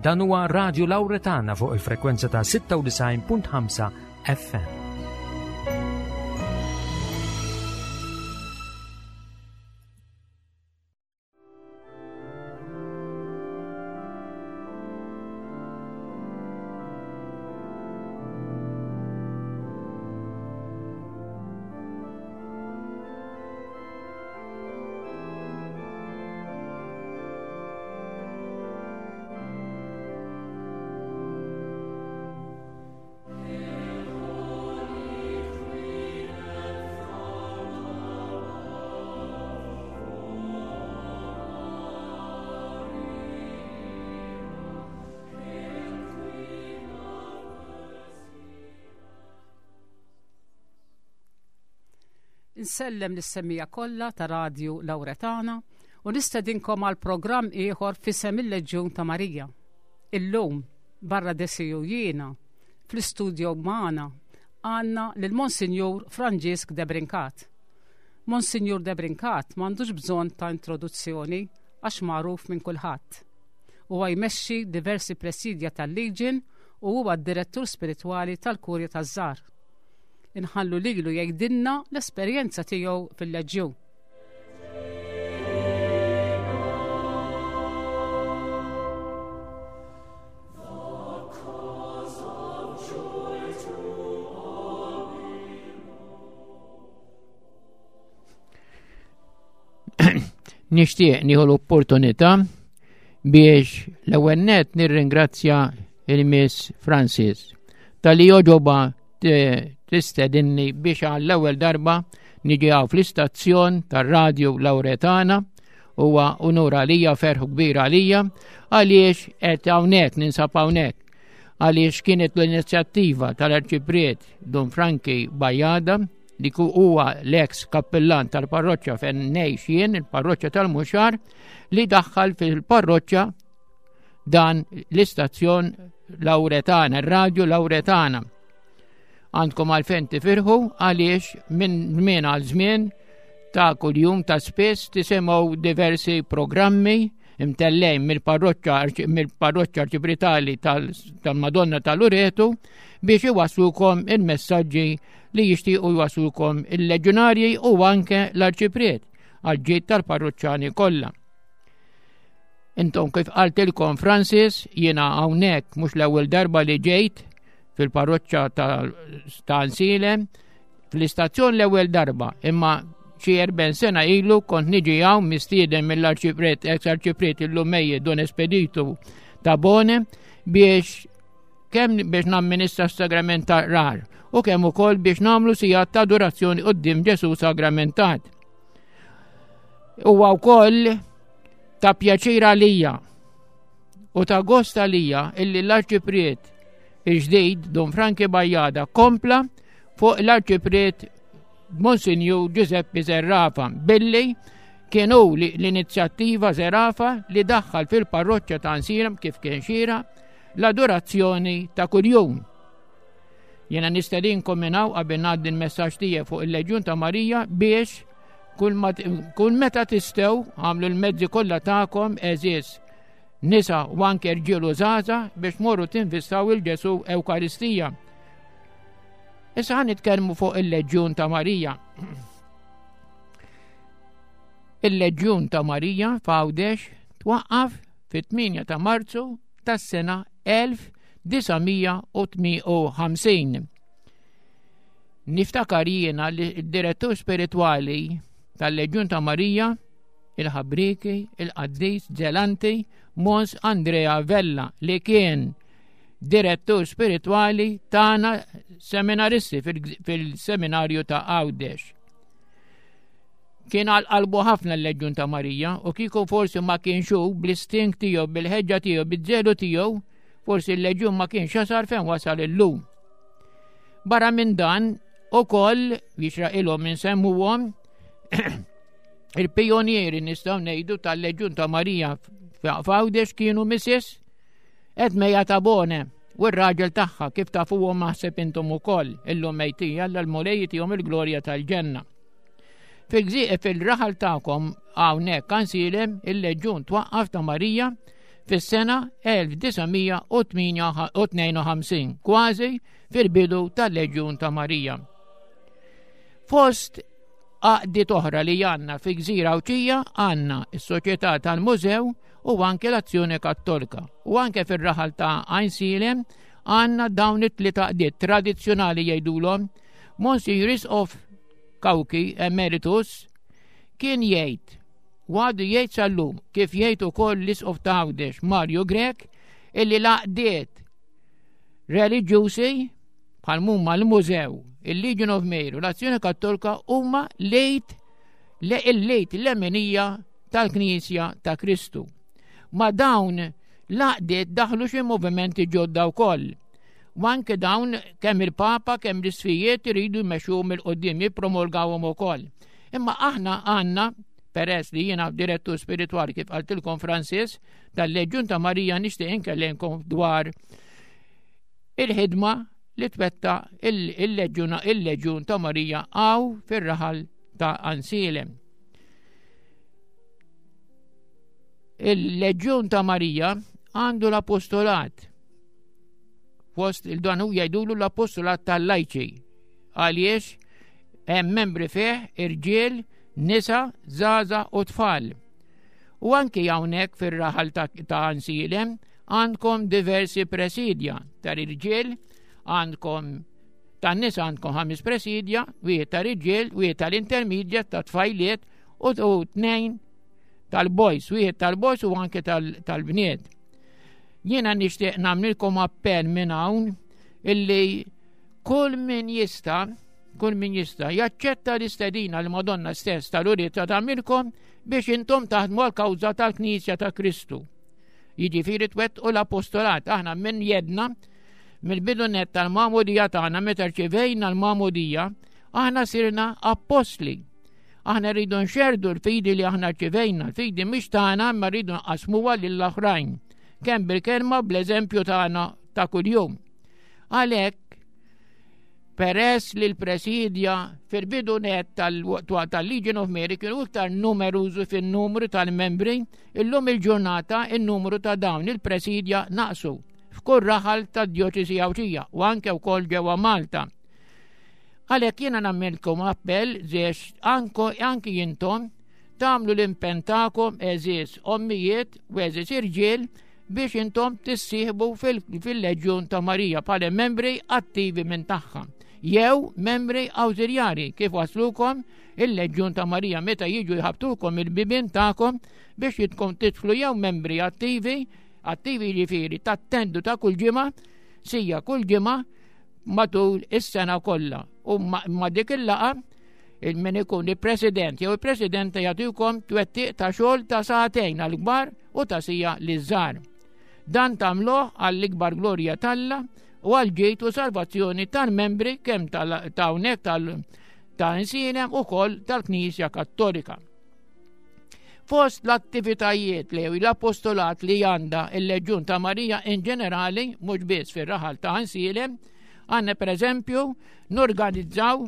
Dan huwa Radio Lauretana fuq il-frekwenza ta' 96.5 FM. Insellem lis-semmiegħa kollha ta' Radju Lawretana u nistedinkom għal programm ieħor f'isem il-Leġjun ta' Marija. Illum, barra Desi u jiena, fl-istudio magħna għandna lil Monsinjur Franġisk Debrincat. Monsinjur Debrincat m'għandux bżonn ta' introduzzjoni għax magħruf minn kulħadd. Huwa jmexxi diversi presidja tal-Legion u huwa d-direttur spiritwali tal-Kurja taż-Żgħar. Inħallu lilu jgħidilna l-esperjenza tiegħu fil-Leġjun. Nixtieq nieħu l-opportunità biex l-ewwel nett nirringrazzja il-Miss Francis tal-li joġoba tistedinni biex għall-ewwel darba niġi hawn fl-istazzjon tar-radju Lawretana huwa unur għalija ferħ kbir għalija għaliex qed hawnhekk ninsab hawnhekk għaliex kienet l-inizjattiva tal-Arċipriet Dun Franki Bajada li huwa l-eks kappillan tal-parroċċa fejn ngħix jien, il-parroċċa tal-Muxar, li daħħal fil-parroċċa dan l-istazzjon Lawretana, ir-radju Lawretana. Għandkom għalfejn tifirħu għaliex minn żmien għal żmien ta' kuljum ta' spiss tisimgħu diversi programmi imtellejn mill-parroċċa mill-parroċċa arċipritali tal-Madonna tal-Uretu biex iwaslukom il-messaġġi li jixtiequ jwaslukom il-leġunarji u anke l-arċipriet għal ġid tal-parroċċani kollha. Intom kif qaltilkom Francis, jiena hawnhekk mhux l-ewwel darba li ġejt fil-parroċċa ta' Ansilem, fl-istazzjon l-ewwel darba, imma xi erben sena ilu kont niġi hawn mistieden mill-arċipriet, ex-arċipriet illum mejjet Don Espeditu Tabone biex kemm biex namministra s-sagrament ta' rar u kemm ukoll biex nagħmlu sigħat ta' adorazzjoni quddiem Ġesu sagramentat. Huwa wkoll ta' pjaċir għalija u ta' gost għalija illi l-arċipriet il-ġdid Don Franki Bajjada kompla fuq l-arċipriet Monsinjur Giuseppe Zerrafa billi kienu l-inizjattiva Zerrafa li daħħal fil-parroċċa ta' Nsiram kif kien xira l-adorazzjoni ta' kuljum. Jena nistedinkom minn hawn qabel ngħaddi l-messaġġ tiegħi fuq il-Leġjun ta' Marija biex kull meta tistgħu għamlu l-mezzi kollha tagħkom għeżież nisa u anke rġiel u żgħażagħ biex morru tinvistaw il-Ġesu Ewkaristija. Issa ħan nitkellmu fuq il-Leġjun ta' Marija. Il-Leġjun ta' Marija f'Għawdex twaqqaf fit-8 ta' Marzu tas-sena 1958. Niftakar jiena li d-direttur spiritwali tal-Leġjun ta' Marija, il-ħabriki, il-qaddis Zelanti, Mons Andrea Vella li kien direttur spiritwali tagħna seminaristi fil-seminarju ta' Għawdex. Kien għal qalbu ħafna l-Leġjun ta' Marija u kieku forsi ma kienx hu bl-istink tiegħu, bil-ħeġġa tiegħu, biż-żelu tiegħu, forsi l-Leġjun ma kienx jasal fejn wasal illum. Barra minn dan, ukoll jixraqilhom insemmuhom il-pijonieri nistgħu ngħidu tal-Leġjun ta' Marija f'Għawdex kienu Mrs. Edmeja Tabone u r-raġel tagħha kif tafuhom naħseb intom ukoll illum mejtija l-Mulej jtihom il-glorja tal-ġenna. Fil-gżieq fil-raħal tagħkom hawnhekk Ansilem il-leġjun twaqqaf ta' Marija fis-sena 1952, kważi fil-bidu tal-Leġjun ta' Marija. Fost għaqdiet oħra li għandna fi Gżira Għawdxija għandna s-Soċjetà tal-Mużew u anke l-Azzjoni Kattolika. U anke fir-raħal ta' Għajnsielem għandna dawn it-tliet għaqdiet tradizzjonali jgħidulhom. Monsignor Isqof Cauchi Emeritus kien jgħid u għadu jgħid sal-lum kif jgħid ukoll l-Isqof ta' Għawdex Mario Grech illi l-għaqdiet reliġjużi bħal mumma l-Mużew, il-Legion of Mary u l-Azzjoni Kattolika huma lejt il-lejt l-emenija tal-Knisja ta' Kristu. Ma dawn l-għaqdiet daħlu xi movimenti ġodda wkoll. U anke dawn kemm il-Papa kemm l-isfijiet iridu jmexxuhom il qudiem jippromulgawhom ukoll. Imma aħna għandna peress li jiena direttur spiritwali kif qaltilkom Francis tal-Leġjun ta' Marija nixtieq inkellimkom dwar il-ħidma li twetta il-Leġjun il-Leġjun ta' Marija għaw fir-raħal ta' Ansilem. Il-Leġjun ta' Marija għandu l-apostolat. Fost il-dan hu jgħidulu l-apostolat tal-lajċi. Għaliex hemm membri fih irġiel, nisa, żgħażagħ u tfal. U anki hawnhekk fir-raħal ta' Ansilem għandkom diversi presidja tal-irġiel, għandkom tan-nisa għandkom ħames presidja, wieħed tal-irġiel, wieħed tal-intermedjat, ta' tfajliet u tnejn tal-boys, wieħed tal-boys u anke tal-bniet. Jiena nixtieq nagħmlilkom appell minn hawn illi kull min jista' kull min jista' jaċċetta l-istedina li Madonna stess tal-uriet ta' tagħmilkom biex intom taħdmu għal kawża tal-Knisja ta' Kristu. Jiġifieri twettqu l-apostolat aħna minn jedna mill-bidu net tal-magħmudija tagħna meta rċivejna l-magħmudija, aħna sirna appostli. Aħna rridu nxerdu l-fidi li aħna rċivejna, l-fidi mhix tagħna imma rridu nqasmuha lill-oħrajn, kemm bil-kelma bl-eżempju tagħna ta' kuljum. Għalhekk peress li l-presidja fil-bidu net tal-Legion of Mary kienu iktar numerużi fin-numru tal-membri, illum il-ġurnata il-numru ta' dawn il-presidja naqsu f'kull raħal tad-djoċesi Għawdxija u anke wkoll ġewwa Malta. Għalhekk jiena nagħmilkom appell biex anki intom tagħmlu l-impenn tagħkom għeżież ommijiet u għeżież irġiel biex intom tissieħbu fil-Leġjun ta' Marija bħala membri attivi minn tagħha jew membri awżiljari kif waslukom il-Leġjun ta' Marija meta jiġu jħabtukom il-bibien tagħkom biex jitkom tidħlu jew membri attivi, attivi jiġifieri tattendu ta' kull ġimgħa, sija kull ġimgħa matul is-sena kollha. U ma' dik il-laqa il-min ikun il-president jew il-presidenta jagħtikom twettiq ta' xogħol ta' sagħtejn għall-kbar u ta' sija liż-żgħar. Dan tagħmluh għall-ikbar glorja t'Alla u għal ġid u salvazzjoni tal-membri kemm ta' hawnhekk ta' insienem ukoll tal-Knisja Kattolika. Fost l-attivitajiet li l-apostolat li għandha il-Leġjun ta' Marija in ġenerali, mhux biss fir-raħal ta' Ansilem, għandna pereżempju norganizzaw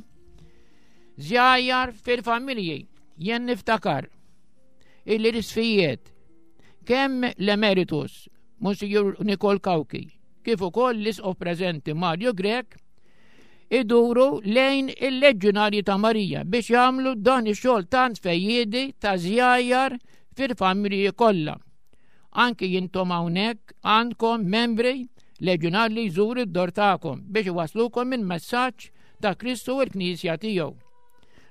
żjajjar fil-familji. Jien niftakar illi l-isfijiet kemm l-emeritus Monsignor Nikol Cauchi kif ukoll l-isqof preżenti Mario Grech iduru lejn il-Leġġunarji ta' Marija biex jagħmlu dan ix-xogħol tant fejjiedi ta' żjajjar fil-familji kollha. Anki jintom hawnhekk għandkom membri leġunarji li jżuru d-dor tagħkom biex iwaslukom il-messaġġ ta' Kristu u l-Knisja tiegħu.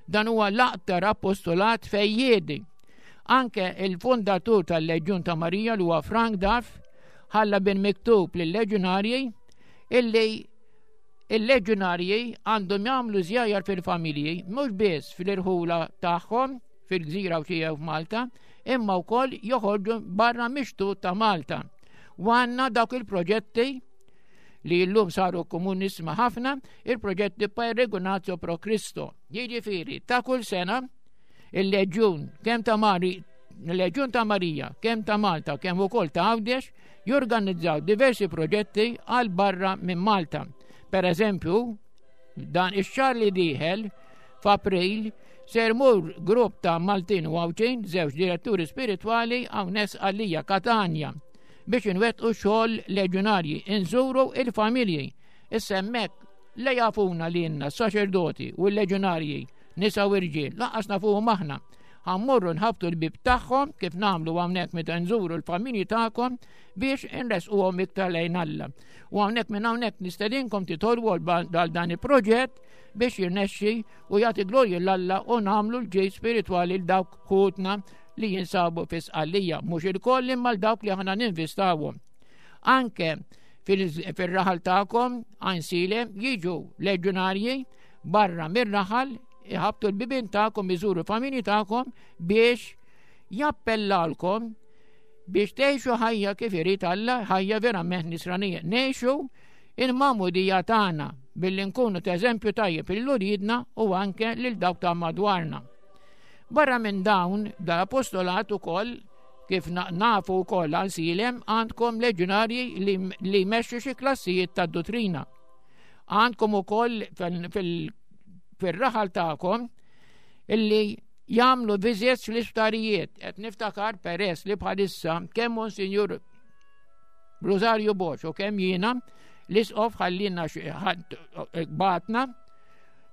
Dan huwa l-aktar apostolat fejjiedi. Anke il-fundatur tal-Leġjun ta' Marija li huwa Frank Duff ħalla bil-miktub lill-leġunarji illi Il-leġunarji għandhom jagħmlu żjajjar fil-familji mhux biss fl-irħula tagħhom fil-gżira u tiegħu f'Malta, imma wkoll joħorġu barra mix-xtut ta' Malta. U għandna dawk il-proġetti li llum saru komunisma ħafna, il-proġetti Peregrinatio Pro Cristo. Jiġifieri ta' kull sena il-leġjun kemm ta' Mari il-Leġjun ta' Marija, kemm ta' Malta, kemm ukoll ta' Għawdex, jorganizzaw diversi proġetti għal barra minn Malta. Per eżempju, dan ix-xahar li dieħel f'April ser mur grupp ta' Maltin u Għawdxin, żewġ diretturi spiritwali hawnhekk għalija Katanja. biex inwettqu xogħol leġjonarji, inżuru il-familji. Issa hemmhekk le jafuna lilna s-saċerdoti u l-leġjonarji, nisa u irġiel, lanqas nafuhom aħna. Ħa mmorru nħabbtu l-bib tagħhom kif nagħmlu hawnhekk meta nżuru l-familji tagħkom biex inresquhom iktar lejn Alla. U hawnhekk minn hawnhekk nistedinkom titolbu għal dan il-proġett biex jirnexxi u jagħti glorju 'l Alla u nagħmlu l-ġid spiritwali l dawk ħutna li jinsabu fi Sqallija, mhux ilkoll imma l dawk li aħna ninvistawhom. Anke fil-raħal tagħkom Għajnsielem jiġu leġjonarji barra mir-raħal iħabtu l-bibien tagħkom iżuru familji tagħkom biex jappellalkom biex tgħixu ħajja kif irid Alla, ħajja verament nisranija. Ngħixu il-magħmudija tagħna billi nkunu ta' eżempju tajjeb lil uliedna u anke lil dawk ta' madwarna. Barra minn dawn, dal-apostolat ukoll kif nafu wkoll Għajnsielem għandkom leġjonarji li jmexxu xi klassijiet ta' dottrina. Għandkom ukoll fil-raħal tagħkom illi jagħmlu visits fl-isptarijiet. Qed niftakar peress li bħalissa kemm Monsinjur Rosario Bosch u kemm jiena l-isqof ħallina bagħatna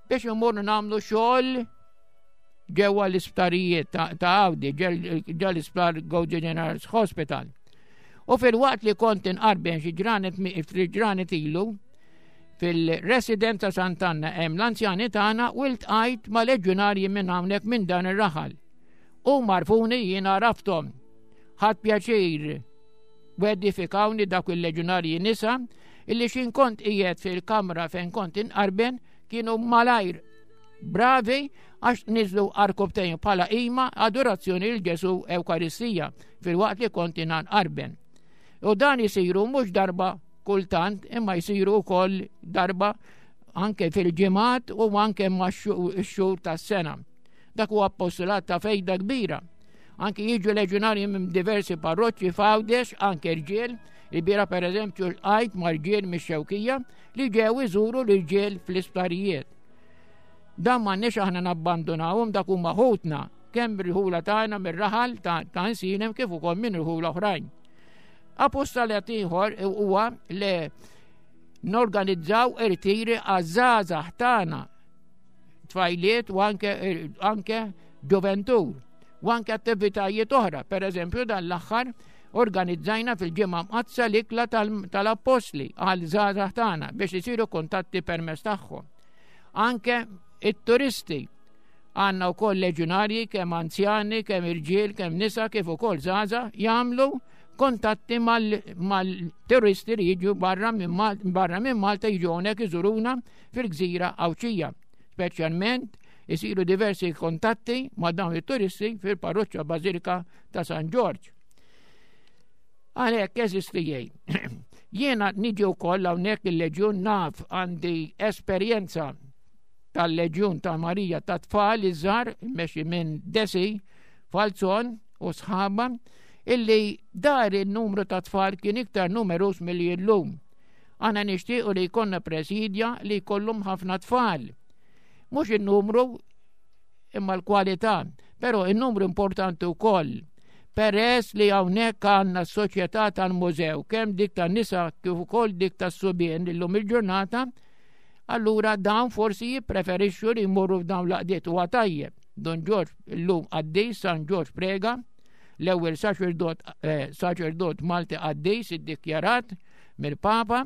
biex imorru nagħmlu xogħol ġewwa l-isptarijiet ta' Għawdi, ġewwa l-isptar Gozo General Hospital. U fil-waqt li kont inqarben xi ġranet ġranet ilu, fil-residenza Sant'Anna hemm l-anzjani tagħna u ltqajt ma' leġjonarji minn hawnhekk minn dan ir-raħal. U marfuni jiena għarafthom. Ħadt pjaċir u edifikawni dak il-leġjonarji nisa illi xin kont qiegħed fil-kamra fejn kont inqarben kienu malajr bravi għax niżlu għarkubtejn bħala qima adorazzjoni lil Ġesu Ewkaristija fil-waqt li kont inqarben. U dan jisiru mhux darba kultant imma jsiru wkoll darba anke fil-ġimgħat u anke max-xhur tas-sena. Dak huwa apostolat ta' fejda kbira. Anke jiġu leġjonarji minn diversi parroċċi f'Għawdex, anke rġiel, il-bira per eżempju l-qajt ma' rġiel mix-Xewkija li ġew iżuru l-irġiel fl-isptarijiet. Dan m'għandniex aħna nabbandunawhom dak huma ħutna kemm mir-rħula tagħna mir-raħal ta' Għajnsielem kif ukoll minn rħula oħrajn. Apostolat ieħor huwa li norganizzaw irtiri għaż-żgħażagħ tagħna tfajliet u anke, anke ġoventur u anke attivitajiet oħra. Per eżempju, dan l-aħħar organizzajna fil-ġimgħa mqaddsa l-ikla tal-appostli għal żgħażagħ tagħna biex isiru kuntatti permezz tagħhom. Anke it-turisti għandna wkoll leġjonarji kemm anzjani, kemm irġiel, kemm nisa, kif ukoll żgħażagħ jagħmlu kontatti mal-turisti li jiġu barra minn Malta jiġu hawnhekk iżuruna fil-gżira Għawdxija. Speċjalment isiru diversi kontatti ma' dawn it-turisti fil-parroċċa Bażilika ta' San Ġorġ. Għalhekk eżisti Jiena niġi wkoll hawnhekk il-Leġjun naf għandi esperjenza tal-Leġjun ta' Marija ta' tfal iż-żgħar mexi minn Desi Falzon u sħaba illi dar il-numru ta' tfal kien iktar numerus milli llum. Aħna nixtiequ li jkollna presidja li jkollhom ħafna tfal. Mhux in-numru imma l-kwalità, però in-numru importanti wkoll. Peress li hawnhekk għandna s-soċjetà tal-mużew, kemm dik tan-nisa kif ukoll dik tas-subien illum il-ġurnata, allura dawn forsi jippreferixxu li jmorru f'dawn l-għaqdiet huwa tajjeb. Don Ġorġ illum qaddis San Ġorġ Prega, l-ewwel saċerdot eh, saċerdot Malti qaddis iddikjarat mill-Papa,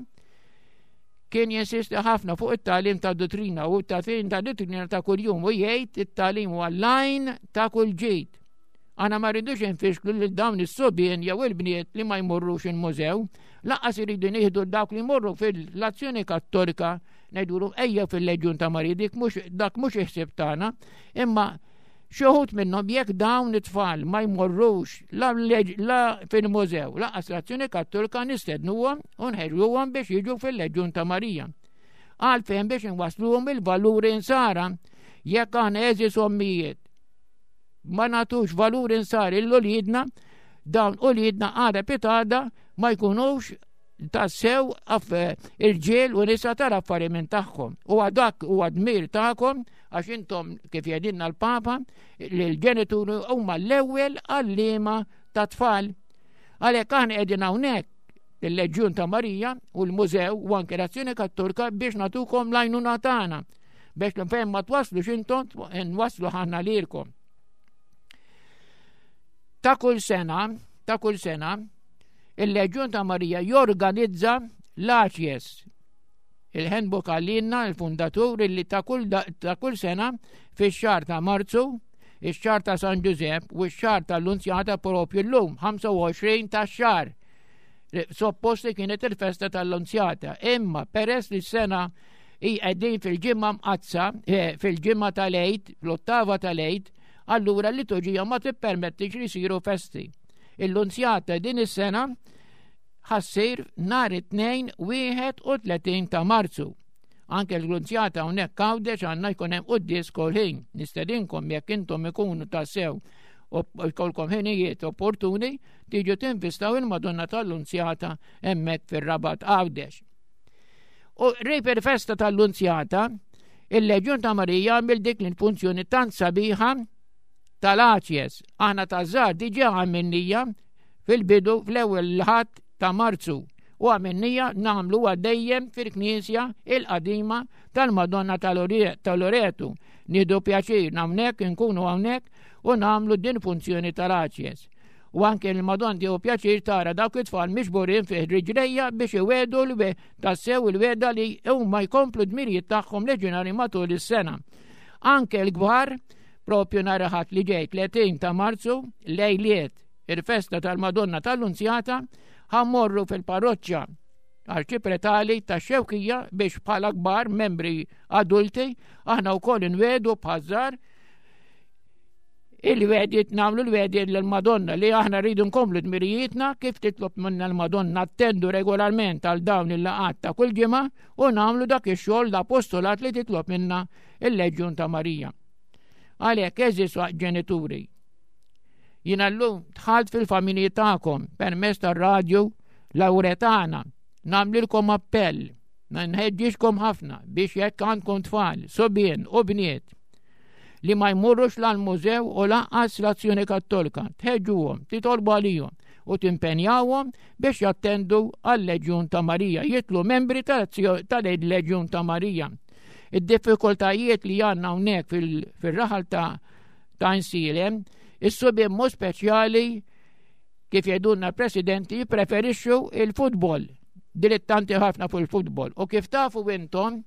kien jinsisti ħafna fuq it-tagħlim ta' dottrina u t-tagħlim ta' dottrina ta' kuljum u jgħid it-tagħlim huwa l-għajn ta' kull ġid. Aħna ma rridux infixklu lil dawn is-subien jew il-bniet li ma jmorrux il-mużew, lanqas iridu nieħdu dawk li jmorru fil-azzjoni kattolika ngħidulhom ejja fil-Leġjun ta' Marija dik mhux dak mhux iħsib tagħna, imma xi wħud minnhom jekk dawn it-tfal ma jmorrux la, la fil-mużew, lanqas l-azzjoni kattolika nistednuhom u nħeġġuhom biex jiġu fil-Leġjun ta' Marija. Għalfejn biex inwasluhom il-valuri insara jekk aħna għeżież ommijiet ma nagħtux valur insar lil uliedna, dawn uliedna għada pitgħada ma jkunux tassew irġiel u nisa tal-affari minn tagħhom. U dak huwa dmir tagħkom għax intom kif jgħidilna l-Papa li l-ġenituri huma l-ewwel għalliema ta' tfal. Għalhekk aħna qegħdin hawnhekk il-Leġjun ta' Marija u l-Mużew u anke l-Azzjoni Kattolika biex natukom l-għajnuna tagħna biex fejn ma twaslux intom nwaslu ħanna lilkom. Ta' kull sena, ta' kull sena, il-Leġjun ta' Marija jorganizza l-Aċjes il-handbook għallinna il-fundatur li ta' kull, ta kull sena fix-xahar ta' Marzu, ix-xahar ta' San Ġużepp u x-xahar tal-Lunzjata propju llum 25 ta' xahar. Suppost li kienet il-festa tal-Lunzjata, imma peress li s-sena hi qegħdin fil-ġimgħa mqaddsa, eh, fil-ġimgħa tal-Għid, fl-ottava tal-Għid, allura l-liturġija ma tippermettix li jsiru festi. Il-Lunzjata din is-sena ħa ssir nhar it-Tnejn 31 ta' Marzu. Anke l-Lunzjata hawnhekk Għawdex għandna jkun hemm quddies kull ħin. Nistedinkom jekk intom ikunu tassew u jkollkom ħinijiet opportuni tiġu tinvistaw il-Madonna tal-Lunzjata hemmhekk fir-Rabat Għawdex. U qrib il-festa tal-Lunzjata, il-Leġjun ta' Marija għamil dik l-funzjoni tant sabiħa tal-Aċjes. Aħna ta' żgħar diġà għamilnija fil-bidu fl-ewwel l-Ħadd ta' Marzu u għamilnija nagħmluha dejjem fil-Knisja il-qadima tal-Madonna ta' Loretu. Nieħdu pjaċir hawnhekk inkunu hawnhekk u nagħmlu din funzjoni tal-Aċjes. U anke l-Madonna tieħu pjaċir tara dawk it-tfal miġburin fih riġlejja biex iwedu l tassew il-weda li huma jkomplu dmirijiet tagħhom leġjonari matul is-sena. Anke l-kbar propju nhar Ħadd li ġej 30 ta' Marzu lejliet il-festa tal-Madonna tal-Lunzjata ħammorru fil-parroċċa arċipretali ta' Xewkija biex bħala kbar membri adulti aħna wkoll inwedu bħażar il-wedit nagħmlu l-wedit l-Madonna li aħna rridu nkomplu dmirijietna kif titlob minna l-Madonna attendu regolarment għal dawn il-laqat ta' kull ġimgħa u nagħmlu dak ix-xogħol l-apostolat li titlob minna il-Leġjun ta' Marija. Għalhekk eżis ġenituri. Jiena llum dħalt fil-familji tagħkom permezz tar-radju Lawretana. Nagħmlilkom appell, nħeġġiġkom ħafna biex jekk għandkom tfal, subien u bniet li ma jmurrux la l-mużew u lanqas l-Azzjoni Kattolika, tħeġġuhom, titolbu għalihom u timpenjawhom biex jattendu għal-Leġjun ta' Marija, jitlu membri tal-Leġjun ta' Marija. Id-diffikultajiet li għandna hawnhekk fil-raħal ta' ta' Insilem, is-subien mod speċjali kif jgħidulna l-presidenti jippreferixxu il-futbol, dilettanti ħafna fuq il-futbol. U kif tafu intom,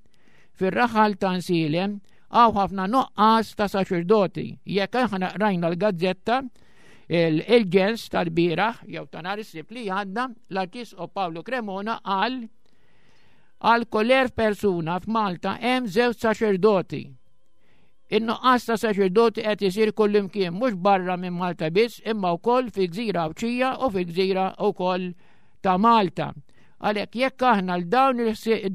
fir-raħal ta' Nsilem hawn ħafna nuqqas ta' saċerdoti. Jekk aħna qrajna l-gazzetta, il-ġens tal-bieraħ jew ta' nhar is-Sibt li għadda, l-Arċisqof Pawlu Cremona qal għal kull persuna f'Malta hemm żewġ saċerdoti. In-nuqqas ta' saċerdoti qed isir kullimkien mhux barra minn Malta biss imma wkoll fi gżira Għawdxija u fi gżira wkoll ta' Malta. Għalhekk jekk aħna l dawn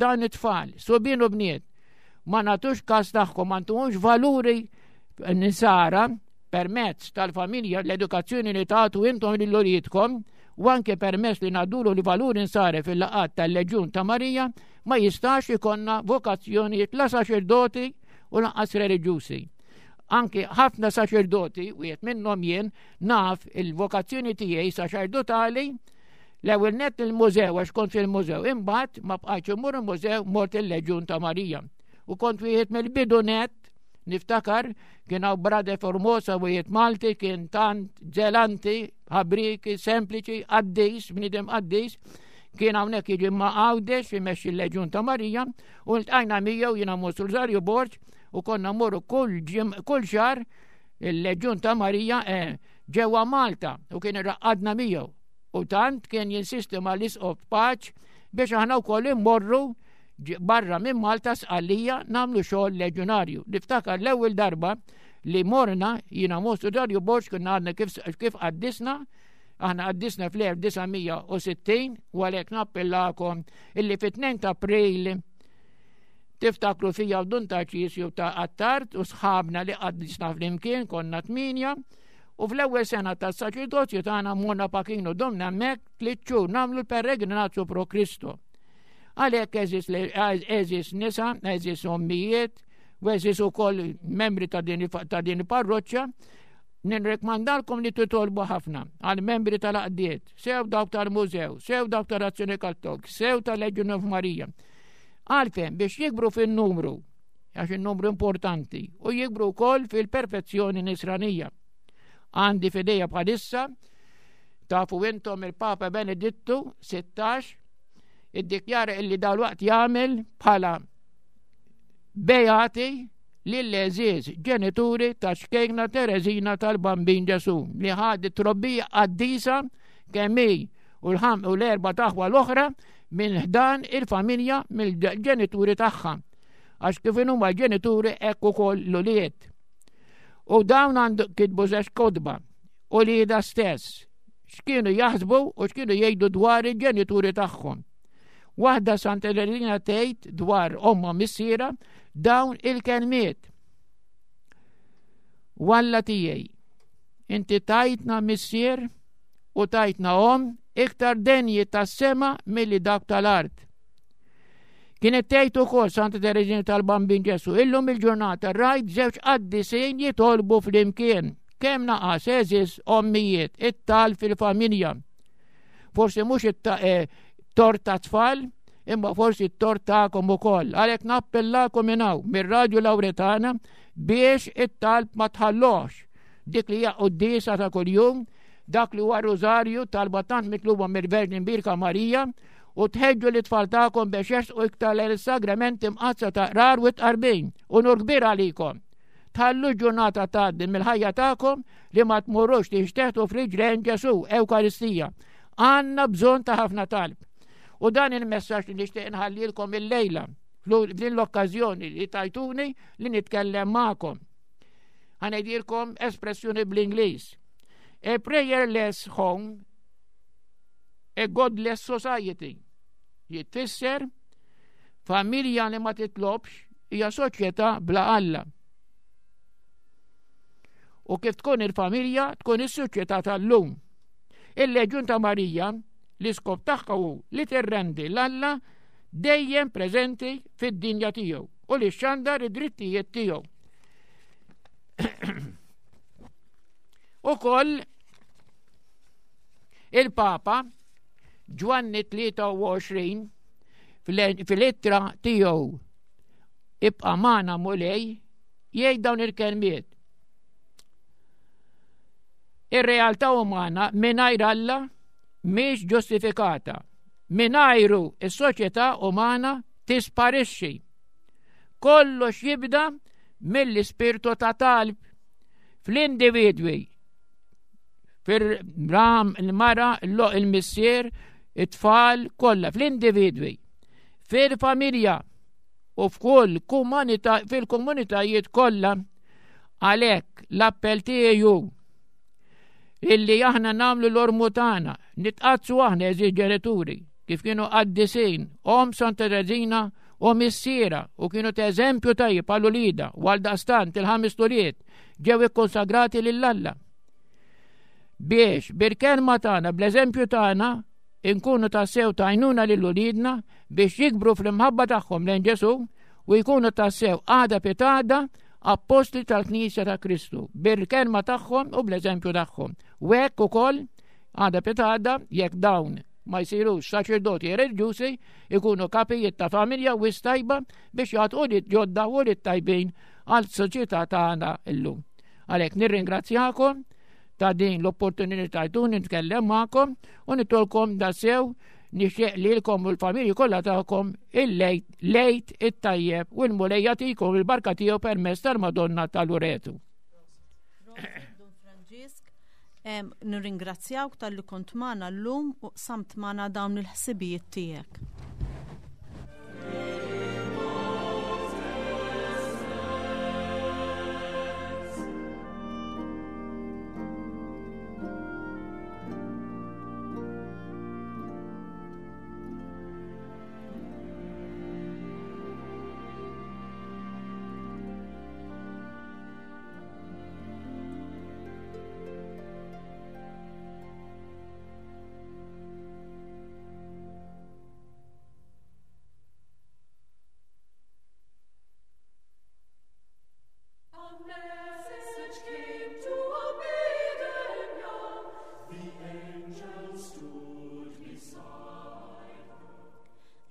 dawn it-tfal, subien u bniet, ma nagħtux każ tagħhom, ma ntuhomx valuri nisara permezz tal-familja l-edukazzjoni li tagħtu intom lil uliedkom u anke permezz li ngħaddulu li valuri nsara fil-laqgħat tal-Leġjun ta' Marija, ma jistax ikonna vokazzjonijiet la saċerdoti u lanqas reliġjużi. Anki ħafna saċerdoti, wieħed minnhom jien, naf il-vokazzjoni tiegħi saċerdotali l-ewwel net il-mużew għax kont fil-mużew, imbagħad ma bqajtx immur il-mużew mort il-Leġjun ta' Marija. U kont wieħed mill-bidu net niftakar kien hawn Brade Formosa wieħed Malti kien tant ġelanti, ħabriki, sempliċi, qaddis, bniedem qaddis, kien hawnhekk jiġi ma' Għawdex imexxi l-Leġjun ta' Marija U ltqajna miegħu jiena Mons Rosario Borg u konna mmorru kull kull xahar il-Leġjun ta' Marija eh, ġewwa Malta u kien irraqqadna miegħu. U tant kien jinsisti mal-isqof Paċ biex aħna wkoll immorru barra minn Malta Sqallija nagħmlu xogħol leġjonarju. Niftakar l-ewwel darba li morna jiena Mons Rosario Borg kien għadna kif, kif qaddisna Aħna qaddisna fl-1960 u għalhekk nappellakom illi fit-2 ta' April tiftakru fija u Dun Tarċisju ta' Attard u sħabna li qaddisna flimkien konna tminja u fl-ewwel sena tas-saċerdozju tagħna morna Pakinu domna hemmhekk tliet xhur nagħmlu l-peregrinazzu pro Kristo. Għalhekk eżis nisa, eżis ommijiet, u eżis ukoll membri ta' din il-parroċċa, Nirrekmandalkom li titolbu ħafna għal membri tal-għaqdiet, sew dawk tal-mużew, sew dawk tal-Azzjoni Kattolika, sew tal-Legion of Maria. Għalfejn biex jikbru fin-numru, għax in-numru importanti, u jikbru wkoll fil-perfezzjoni nisranija. Għandi fidejja bħalissa, tafu intom il-Papa Benedittu 16 iddikjara illi dal-waqt jagħmel bħala beati lill-għeżież ġenituri ta' ċkejkna Tereżina tal-Bambin Ġesù li ħadet trobbija qaddisa kemm hi u l-ħam u l-erba' taħwa l-oħra minn ħdan il-familja mill-ġenituri tagħha. Għax kif huma l-ġenituri hekk ukoll l-ulied. U dawn għandu kitbu żewġ kotba u li da stess x'kienu jaħsbu u x'kienu jgħidu dwar il-ġenituri tagħhom. Waħda Santa Elena tgħid dwar omma missiera dawn il-kelmiet. Walla tiegħi, inti tajtna missier u tajtna om iktar denji tas-sema milli dak tal-art. Kienet tgħid ukoll Santa Tereżina tal-Bambin Ġesu, illum il-ġurnata rajt żewġ qaddisin jitolbu flimkien. Kemm naqas eżis ommijiet it-tal fil-familja. Forsi mhux it-tort eh, ta' tfal, imma forsi t-tort tagħkom ukoll. Għalhekk nappellakom minn hawn mir-Radju Lawretana biex it-talb ma tħallox. Dik li hija quddiesa ta' kuljum, dak li huwa rużarju talba tant mitluba mill-Verġni Mbirka Marija u tħeġġu li tfal tagħkom biex jersqu iktar lejn is-sagramenti mqaddsa ta' qrar u tqarbin. Unur kbir għalikom. Tħallu ġurnata tgħaddi mill-ħajja tagħkom li ma tmurrux tixteħtu f'riġlejn Ġesù, Ewkaristija. Għandna bżonn ta' ħafna talb. U dan il-messaġġ li nixtieq inħallilkom illejla f'din l-okkażjoni li tajtuni li nitkellem magħkom. Ħanejdilkom espressjoni bl-Ingliż. A prayerless home, a godless society. Jitfisser familja li ma titlobx hija soċjetà bla Alla. U kif tkun il-familja, tkun is-soċjetà tal-lum. Il-Leġjun ta' Marija, l-iskop tagħha hu li tirrendi l-Alla dejjem preżenti fid-dinja tiegħu u li xandar id-drittijiet tiegħu. Ukoll il-Papa Ġwanni 23 fil-ittra tiegħu ibqa' magħna Mulej jgħid dawn il-kelmiet. Ir-realtà umana mingħajr Alla mhix ġustifikata. Mingħajru is-soċjetà umana tisparixxi. Kollox jibda mill-ispirtu ta' talb fl-individwi fir-ram il-mara, il-missier, it-tfal kollha fl-individwi, fil-familja u f'kull komunità fil-komunitajiet kollha. Għalhekk l-appell tiegħi hu illi aħna nagħmlu l-ormu tagħna, nitqazzu aħna eżi ġenituri, kif kienu qaddisin, om Santa Tereżina u missiera u kienu ta' eżempju tajjeb għal ulida u għal daqstant il-ħames tuliet ġew ikkonsagrati lil Alla. Biex bil-kelma tagħna, bl-eżempju tagħna, inkunu tassew tajnuna lil ulidna biex jikbru fl-imħabba tagħhom lejn Ġesu u jkunu tassew għada pitada appostli tal-Knisja ta' Kristu bil-kelma tagħhom u bl-eżempju tagħhom. U hekk ukoll għada pitada jekk dawn ma jsirux saċerdoti reliġjużi ikunu kapijiet ta' familja u tajba biex jagħtu li ġodda u li tajbin għal soċjetà tagħna llum. Għalhekk nirringrazzjakom ta' din l-opportunità tajtuni nitkellem magħkom u nitolkom da sew nixtieq lilkom u l-familji kollha tagħkom il-lejt lejt it-tajjeb u l-Mulej jagħtikom il-barka tiegħu permezz tal-Madonna ta' Luretu. Nirringrazzjawk talli kont magħna llum u qsamt magħna dawn il-ħsibijiet tiegħek.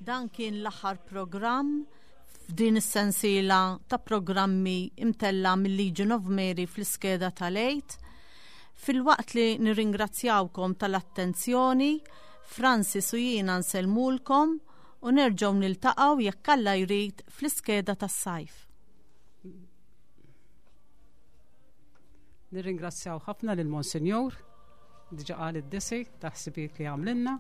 Dan kien l-aħħar programm f'din is-sensiela ta' programmi imtella mill-Legion of Mary fl-iskeda tal-Għid. Filwaqt li nirringrazzjawkom tal-attenzjoni, Francis u jiena nsellmulkom u nerġgħu niltaqgħu jekk Alla jrid fl-iskeda tas-sajf. Nirringrazzjaw ħafna lil Monsinjur, diġa qal id-disi ta' ħsibijiet li għamlilna.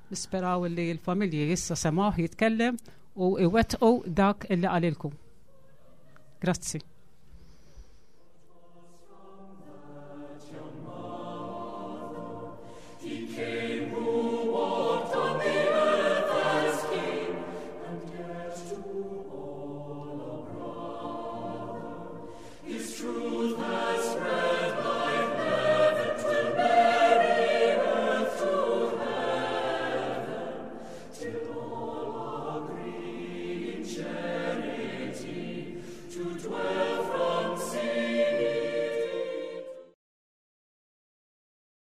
Nisperaw li l-familji issa semgħuh jitkellem u iwettqu dak illi qalilkom. Grazzi. To dwell.